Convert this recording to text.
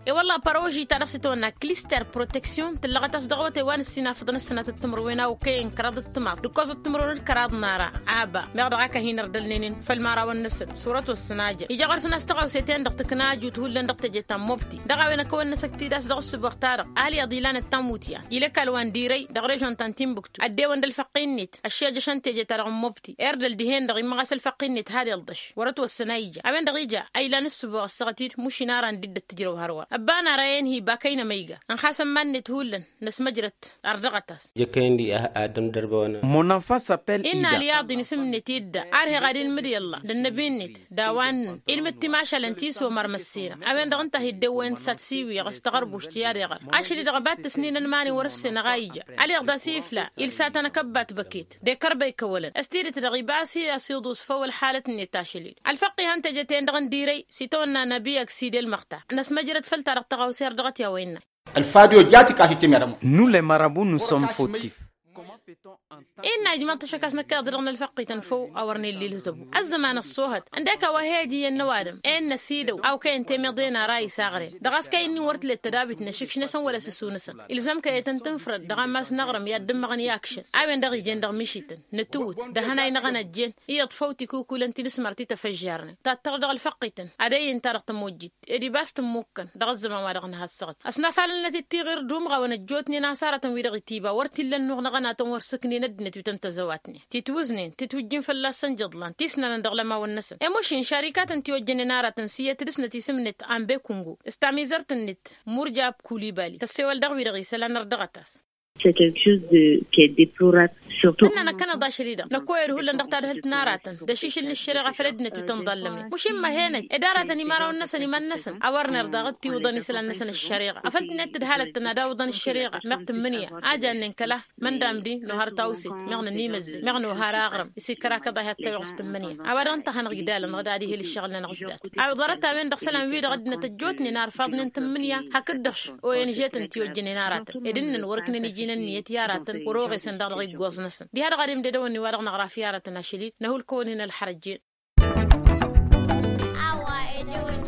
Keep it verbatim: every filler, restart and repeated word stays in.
E-wălla paroži-ta-dăɣ s-itawănna klister proteksyon tǝllăɣăt-as dăɣ-awătay wa n-ǝssin afǝḍăn ǝssǝnatăt timǝrwen a okăyăn kăraḍăt timaḍ d-ǝkkoẓăt timǝrwen d-kăraḍ n-ara. Aba meɣ dăɣ-ak a hin-ărdălnenen făll-imărawăn-năsăn. Surăt wăssăn a jăn ija ɣur-săn a-s tăɣawse-ten-dăɣ tǝkna ajut hullan dăɣ-teje ta n-mobti dăɣ-a-wen ăkăwăn-năsăk-t-dd a-s dăɣ-ǝssǝboɣ-ta-dăɣ. Alyaḍ ilanăt tamutyan il' ăkall wa n-dirăy dăɣ-režon ta n-timbuktu ăddewăn d-ălfăqq-i-net ăššejăšăn teje-ta-dăɣ n-mobti. Erdăl dihen-dăɣ immăɣ a-s ălfăqq-i-net had-ilḍăš wăr-ătwăssăn a ija a-wen-dăɣ ija a ilan ǝssǝboɣ ăssaɣăt-dd mušin ara n-dd-ăttǝjrăw hărwa ăbba n-ara i-inhi bakăy n-emăyga. Ănxasăn iman-net hullan năsmăjrăt ărdăɣăt-as. Jăkkăyăn-di ad-dămdărbăwăn. Mon enfant s-appelle inna alyaḍ-in isǝm-net idda. Arheɣ ad-ilmǝd i-ălla d-ănnăbi-net d-a-wa ǝnnǝn ilmǝd timašalăn ti s-omăr măssinăɣ. A-wen-dăɣ ǝnta a hi-dd-ewwăyăn s-ad-siwǝyăɣ s-taɣărbušt i-ad-iɣăr ašăl-i-dăɣ ăba t-tǝsninăn iman-in wăr-ǝssen ăɣayǝja. Alyaḍ da-s ifla ilsatăn akăbbat băket d-ekărbăy kăwălăn s-tidǝt-dăɣ iba a-s hi-ăsiḍus făw ălxalăt-net ašăl-i-dd ălfăqq ihăn teje-ten-dăɣ n-dirăy s-itawănna năbi ăgg sidel măxtar. Năsmăjrăd făll-ta-dăɣ tăɣawse ărdăɣăt i-a-wa innă. Ălfadyo jatika s-itǝmyăḍăm. Nous les marabouts nous sommes fautifs. Inna ijmăḍ-t ašăk a-s năkk iḍa-dăɣ n-ălfăqqităn făw a wăr n-illa ilzăbu ăzzăman ăṣṣoohăt. Ǝndek a-wa hi-ăj iyyăn n-ăwadǝm e n-năsidăw a okăyăn temiḍe n-ara isaɣren dăɣ-a-s kăy-ǝnnin wăr t-let tădabit n-ašǝkš-năsăn wăla s-ǝssu-năsăn. Ilzăm kăy-etăn tǝnfrăd dăɣ-ammas n-aɣrǝm i-ad-dd-ǝmmăɣăn i-akšăn a-wen-dăɣ ijen dăɣ-mišităn nǝtǝwǝt d-ahănay n-aɣănăjjen. Iyyăḍ făw tikǝwkulăn ti nǝsmăr ti tăfăžžarnen tattăr dăɣ-ălfăqqităn ad-ăyyǝn-ta-dăɣ tămojjit ed ibas tǝmmukăn dăɣ-ăzzăman wa dăɣ-nǝha ăssaɣăt. Ăsnafalăn-năt d-tiɣir d-umɣawăn ăjjootnen a-s aratăn wi-dăɣ itiba wăr t-illa ănnuɣ n-aɣăna-tăn wăr sǝknen ăddinăt wi tăn-tăzăwatnen titwǝznen titwǝjjǝn fălla-săn jăḍlan tisnanăn dăɣ-lămawăn-năsăn. Emušin šarikatăn ti ojjănen aratăn s-iyyăt dăɣ-snăt isǝm-net ambe kungu s-tamizărt-net murjab kulibali tăssewăl dăɣ-wi-dăɣ isălan ărdăɣăt-as. C'est quelque chose de qui est deplorable. Surtout ănna năkkăneḍ ašăl-i-dăɣ năkkoyăd hullan dăɣ-tadhǝlt n-aratăn d-ašišǝl n-ăššăreɣa făll-ăddinăt wi tăn-iḍallămnen mušin măhenăj ed aratăn imărawăn-năsăn iman-năsăn a wăr nerḍaɣ d-tiwǝḍăn isălan-năsăn ăššăreɣa afăl tǝnnet tǝdhalăt-tăn ad-awǝḍăn ăššăreɣa meɣ tǝmmǝnǝya a jannen kăla. Măndamdi nohar tawset meɣ nǝnimăzzăy meɣ nohar aɣrǝm s-ikăr akăḍ a hi-ăttăweɣ s-tǝmmǝnǝya. A-wa dăɣ-ǝnta a hanăɣ-igdalăn dăɣ-ad-ihel ǝššăɣǝl-nănăɣ s-dat. A ḍarăt-a-wen-dăɣ isălan-wi-dăɣ ăddinăt ăjjootnen a ărfaḍnen tǝmmǝnǝya hakd-dăɣ š-onyžetăn ti ojjănen aratăn ed ǝnnăn wăr-ǝknăn iji n-ǝnniyăt i-aratăn wăr-oɣesăn daɣ dăɣ-iggoẓ-năsăn diha-dăɣ ad-imdădăwăn i-wa-dăɣ năɣraf i-aratăn ašăl-i-dd năhulkăwăn-in ălxărăjjen. A-wa edăwăn